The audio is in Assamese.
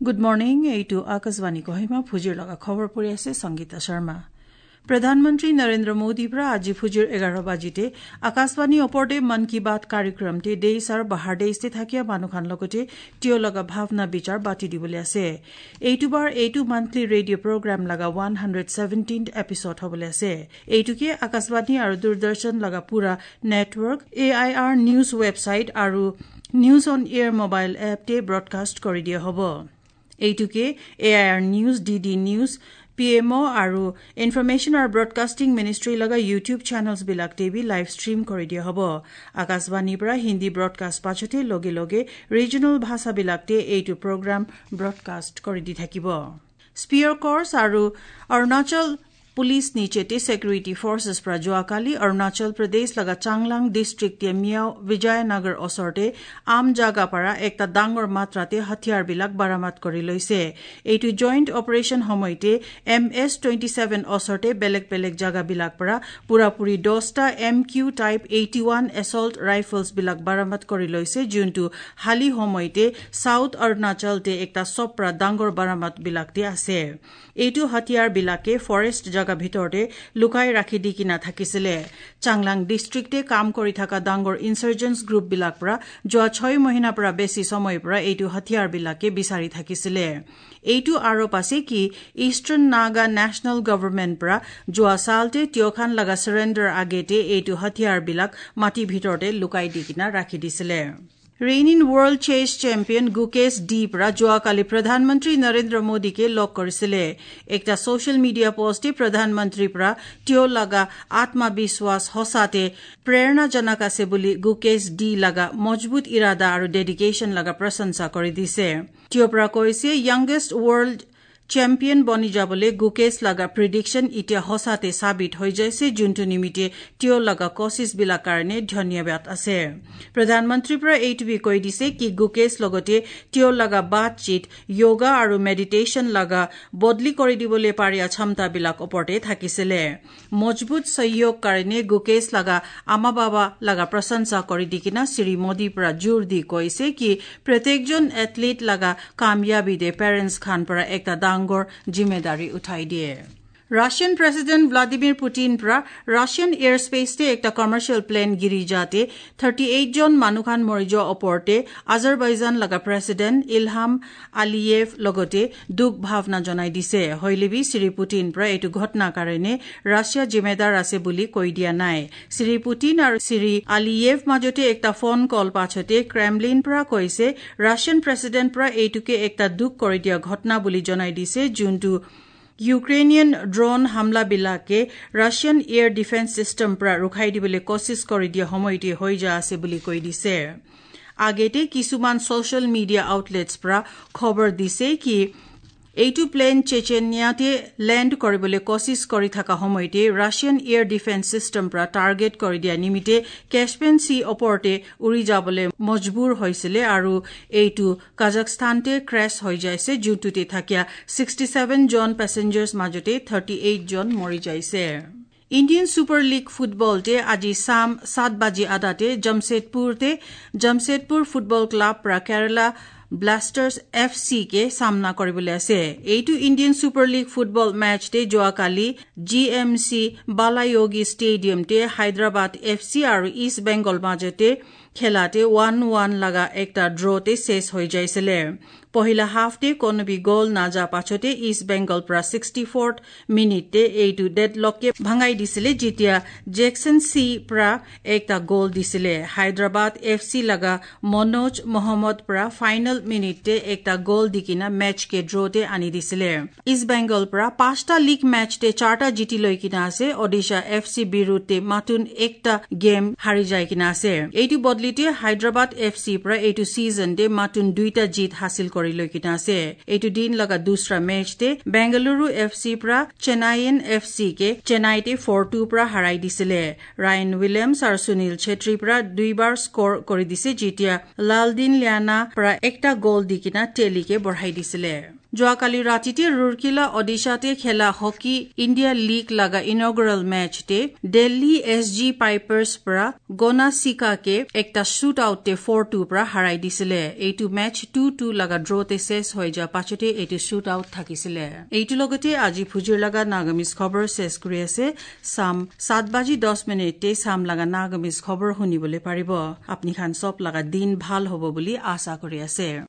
গুড মৰ্ণিং, এইটো আকাশবাণী কহিমা। ফুজিৰ লগা খবৰ পৰি আছে সংগীতা শৰ্মা। প্ৰধানমন্ত্ৰী নৰেন্দ্ৰ মোদীৰ পৰা আজি ফুজিৰ 11 বাজিতে আকাশবাণী ওপৰতে মন কী বাত কাৰ্যক্ৰমতে দেশ আৰু বাহাৰ দেশতে থাকিয়া মানুহখান লগতে তেওঁ লগা ভাৱনা বিচাৰ বাতি দিবলৈ আছে। এইটো বাৰ এইটো মান্থলি ৰেডিঅ' প্ৰগ্ৰাম লগা 117 এপিছড হ'বলৈ আছে। এইটোকে আকাশবাণী আৰু দূৰদৰ্শন লগা পুৰা network, AIR news website আৰু নিউজ অন এয়াৰ মোবাইল এপতে ব্ৰডকাষ্ট কৰি দিয়া হ'ব। এইটোকে AIR news, DD news, PMO আৰু ইনফৰমেশ্যন আৰু ব্ৰডকাষ্টিং মিনিষ্ট্ৰী লগা ইউটিউব চেনেলছবিলাকতে বি লাইভ ষ্ট্ৰীম কৰি দিয়া হ'ব। আকাশবাণীৰ পৰা হিন্দী ব্ৰডকাষ্ট পাছতে লগে লগে ৰিজনেল ভাষাবিলাকতে এইটো প্ৰগ্ৰাম ব্ৰডকাষ্ট কৰি দি থাকিব। স্পিয়াৰ কৰ্চ আৰু অৰুণাচল পুলিচ নিচেতে ছেকিউৰিটি ফৰ্চেছ পৰা যোৱাকালি অৰুণাচল প্ৰদেশ লগা চাংলাং ডিষ্ট্ৰিক্টে মিয়াও বিজয়নগৰ ওচৰতে আম জাগা পৰা একটা ডাঙৰ মাত্ৰাতে হাথিয়াৰবিলাক বাৰামদ কৰি লৈছে। এইটো জইণ্ট অপাৰেশ্যন সময়তে MS 27 ওচৰতে বেলেগ বেলেগ জাগাবিলাক পৰা পুৰাপুৰি 10টা MQ type 81 assault ৰাইফলছবিলাক বাৰামদ কৰি লৈছে, যোনটো হালি সময়তে চাউথ অৰুণাচলতে একটা চব পৰা ডাঙৰ বাৰামদবিলাকতে আছে। এইটো হাথিয়াৰবিলাকে ফৰেষ্ট জাগা ভিতৰতে লুকাই ৰাখি দি কিনা থাকিছিলে। চাংলাং ডিষ্ট্ৰিক্টে কাম কৰি থকা ডাঙৰ ইনচাৰ্জেন্স গ্ৰুপবিলাক পৰা যোৱা 6 মহিনাৰ পৰা বেছি সময়ৰ পৰা এইটো হাথিয়াৰবিলাকে বিচাৰি থাকিছিলে। এইটো আৰোপ আছে কি ইষ্টাৰ্ণ নাগা নেশ্যনেল গভৰ্ণমেণ্ট পৰা যোৱা চালতে তিয়খান লগা চাৰেণ্ডাৰ আগেতে এইটো হাথিয়াৰবিলাক মাটিৰ ভিতৰতে লুকাই দি কিনা ৰাখি দিছিলে। Reigning world chess champion Gukesh D পৰা যোৱাকালি প্ৰধানমন্ত্ৰী নৰেন্দ্ৰ মোদীকে লগ কৰিছিলে। একটা ছচিয়েল মিডিয়া পোষ্টে প্ৰধানমন্ত্ৰীৰ পৰা তেওঁ লগা আত্মবিশ্বাস সঁচাতে প্ৰেৰণাজনক আছে বুলি গুকেশ ডি লগা মজবুত ইৰাদা আৰু ডেডিকেশ্যন লগা প্ৰশংসা কৰি দিছে। তেওঁৰ পৰা কৈছে য়াংগেষ্ট ৱৰ্ল্ড চেম্পিয়ন বনি যাবলৈ গুকেশ লগা প্ৰিডিকশ্যন এতিয়া সঁচাতে সাবিত হৈ যাইছে, যোনটো নিমিত্তে তেওঁ লগা কোচিছবিলাক কাৰণে ধন্যবাদ আছে। প্ৰধানমন্ত্ৰীৰ পৰা এইটো বি কৈ দিছে কি গুকেশ লগতে তেওঁ লগা বাতচিত য়োগা আৰু মেডিটেশ্যন লগা বদলি কৰি দিবলৈ পাৰিয়া ক্ষমতাবিলাক ওপৰতে থাকিছিলে। মজবুত সহযোগ কাৰণে গুকেশ লগা আমা বাবা লগা প্ৰশংসা কৰি দি কিনা শ্ৰী মোদীৰ পৰা জোৰ দি কৈছে কি প্ৰত্যেকজন এথলিট লগা কাময়াবীদে পেৰেণ্টছ খান পৰা একটা ডাঙৰ জিম্মেদাৰী উঠাই দিয়ে। ৰাছিয়ান প্ৰেছিডেণ্ট ভ্লাদিমিৰ পুটিন পৰা ৰাছিয়ান এয়াৰ স্পেচতে একটা কমাৰ্চিয়েল প্লেন গিৰি যাতে 38 জন মানুহখান মৰি যোৱা ওপৰতে আজাৰবাইজান লগা প্ৰেছিডেণ্ট ইলহাম আলিয়েভ লগতে দুখ ভাৱনা জনাই দিছে। হৈলেবি শ্ৰী পুটিন পৰা এইটো ঘটনাৰ কাৰণে ৰাছিয়া জিম্মেদাৰ আছে বুলি কৈ দিয়া নাই। শ্ৰী পুটিন আৰু শ্ৰী আলিয়েভ মাজতে একটা ফোন কল পাছতে ক্ৰেমলিন পৰা কৈছে ৰাছিয়ান প্ৰেছিডেণ্ট পৰা এইটোকে একটা দুখ কৰি দিয়া ঘটনা বুলি জনাই দিছে, যোনটো ইউক্ৰেইনিয়ান ড্ৰোন হামলাবিলাকে ৰাছিয়ান এয়াৰ ডিফেন্স চিষ্টেম পৰা ৰোখাই দিবলৈ কোচিছ কৰি দিয়া সময়তে হৈ যোৱা আছে বুলি কৈ দিছে। আগেতে কিছুমান ছচিয়েল মিডিয়া আউটলেটছ পৰা খবৰ দিছে কি এইটো প্লেন চেচেনিয়াতে লেণ্ড কৰিবলৈ কোচিছ কৰি থকা সময়তে ৰাছিয়ান এয়াৰ ডিফেন্স চিষ্টেম পৰা টাৰ্গেট কৰি দিয়া নিমিত্তে কেছপিয়ান চি ওপৰতে উৰি যাবলৈ মজবুৰ হৈছিলে আৰু এইটো কাজাখস্তানতে ক্ৰেছ হৈ যাইছে, যোনটোতে থাকিয়া 67 জন পেচেঞ্জাৰ্ছ মাজতে 38 জন মৰি যাইছে। ইণ্ডিয়ান ছুপাৰ লীগ ফুটবলতে আজি চাম 7:30 জামছেদপুৰতে জামছেদপুৰ ফুটবল ক্লাব পৰা কেৰালা ব্লাষ্টাৰ্ছ এফ চি কে সামনা কৰিবলৈ আছে। এইটো ইণ্ডিয়ান ছুপাৰ লীগ ফুটবল মেচতে যোৱাকালি জি এম চি বালায়োগী ষ্টেডিয়ামতে হায়দৰাবাদ এফ চি আৰু ইষ্ট বেংগল মাজতে খেলাতে 1-1 লগা একটা ড্ৰতে শেষ হৈ যাইছিলে। পহিলা হাফতে কোনো বি গ'ল নাযা পাছতে ইষ্ট বেংগল পৰা 64 মিনিটতে এইটো ডেডলকে ভাঙাই দিছিলে, যেতিয়া জেকচন চি পৰা একটা গ'ল দিছিলে। হায়দৰাবাদ এফ চি লগা মনোজ মহম্মদ পৰা ফাইনেল মিনিটতে একটা গ'ল দি কিনা মেচকে ড্ৰতে আনি দিছিলে। ইষ্ট বেংগল পৰা 5টা লীগ মেচতে 4টা জিতি লৈ কিনা আছে। ওডিশা এফ চি বিৰুদ্ধে মাতুন একটা গেম হাৰি যায় কিনা আছে। এইটো বদলিতে হায়দৰাবাদ এফ চি পৰা এইটো ছিজনতে মাতুন 2টা জিত হাসিল কৰি লৈ কিনা আছে। এইটো দিন লগা দুসৰা মেচতে বেংগালুৰু এফ চি পৰা চেন্নাইন এফ চি কে চেন্নাইতে 4-2 পৰা হাৰাই দিছিলে। ৰায়ন উইলিয়ামছ আৰু সুনীল চেত্ৰীৰ পৰা 2বাৰ স্ক'ৰ কৰি দিছে, যেতিয়া লালদিন লিয়ানা পৰা একটা গ'ল দি কিনা টেলিকে বঢ়াই দিছিলে। যোৱাকালি ৰাতিতে ৰুৰকিলা অডিশাতে খেলা হকী ইণ্ডিয়া লীগ লগা ইনগৰেল মেচতে দিল্লী এছ জি পাইপাৰ্ছ পৰা গোনাচিকাকে একটা শ্বুট আউটতে 4-2 পৰা হাৰাই দিছিলে। এইটো মেচ 2-2 লগা ড্ৰতে শেষ হৈ যোৱাৰ পাছতে এইটো শ্বুট আউট থাকিছিলে। এইটো লগতে আজি ফুজিৰ লগা নাগামিজ খবৰ শেষ কৰি আছে। চাম 7:10 চাম লগা নাগামিজ খবৰ শুনিবলৈ পাৰিব। আপুনি খান চব লগা দিন ভাল হ'ব বুলি আশা কৰি আছে।